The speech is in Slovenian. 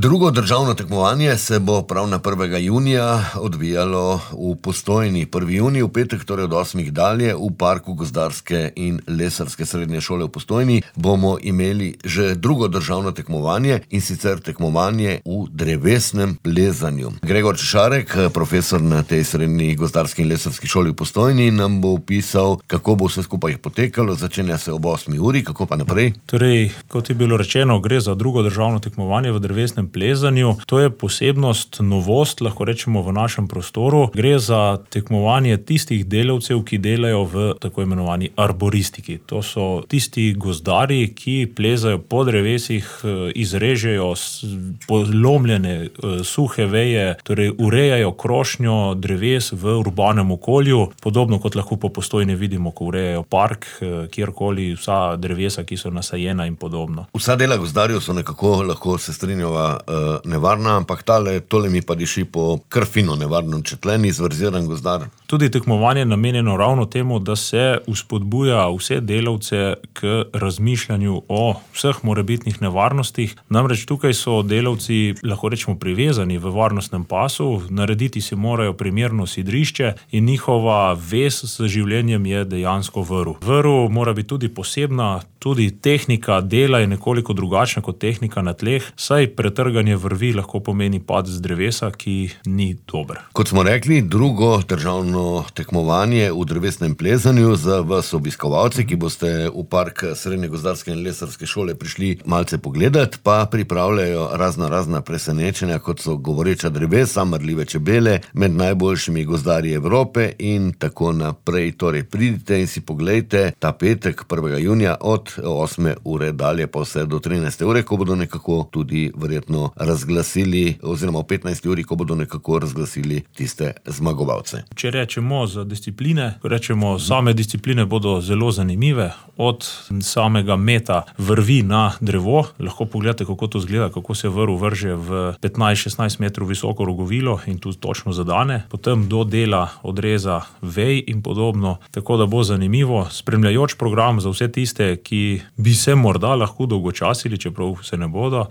Drugo državno tekmovanje se bo prav na 1. junija odvijalo v Postojni. 1. junij v petek, torej od 8. dalje, v Parku gozdarske in lesarske srednje šole v Postojni bomo imeli že drugo državno tekmovanje, in sicer tekmovanje v drevesnem plezanju. Gregor Češarek, profesor na tej srednji gozdarski in lesarski šoli v Postojni, nam bo opisal, kako bo vse skupaj potekalo. Začenja se ob 8. uri, kako pa naprej? Torej, kot je bilo rečeno, gre za drugo državno tekmovanje v drevesnem plezanju. To je posebnost, novost, lahko rečemo, v našem prostoru. Gre za tekmovanje tistih delavcev, ki delajo v tako imenovani arboristiki. To so tisti gozdarji, ki plezajo po drevesih, izrežejo polomljene suhe veje, torej urejajo krošnjo dreves v urbanem okolju, podobno kot lahko po Postojni vidimo, ko urejajo park, kjerkoli, vsa drevesa, ki so nasajena in podobno. Vsa dela gozdarjev so nekako, lahko se strinjava, nevarna, ampak tole mi pa diši po kar fino nevarnem, četlen, izverziran gozdar. Tudi tekmovanje je namenjeno ravno temu, da se vzpodbuja vse delavce k razmišljanju o vseh morebitnih nevarnostih. Namreč tukaj so delavci, lahko rečemo, privezani v varnostnem pasu, narediti si morajo primerno sidrišče in njihova vez z življenjem je dejansko vrv. Vrv mora biti tudi posebna, tudi tehnika dela je nekoliko drugačna kot tehnika na tleh, saj pretrganje vrvi lahko pomeni pad z drevesa, ki ni dober. Kot smo rekli, drugo državno tekmovanje v drevesnem plezanju za vas obiskovalci, ki boste v Park srednje gozdarske in lesarske šole prišli malce pogledati, pa pripravljajo razna presenečenja, kot so govoreča drevesa, mrljive čebele, med najboljšimi gozdarji Evrope in tako naprej. Torej pridite in si poglejte ta petek 1. junija od 8. ure dalje pa vse do 13. ure, ko bodo nekako tudi verjetno razglasili, oziroma v 15. uri, ko bodo nekako razglasili tiste zmagovalce. Če rečemo za discipline, same discipline bodo zelo zanimive, od samega meta vrvi na drevo. Lahko pogledate, kako to izgleda, kako se vrv vrže v 15-16 metrov visoko rogovilo in tu točno zadane, potem do dela odreza vej in podobno, tako da bo zanimivo. Spremljajoč program za vse tiste, ki bi se morda lahko dolgočasili, čeprav se ne bodo.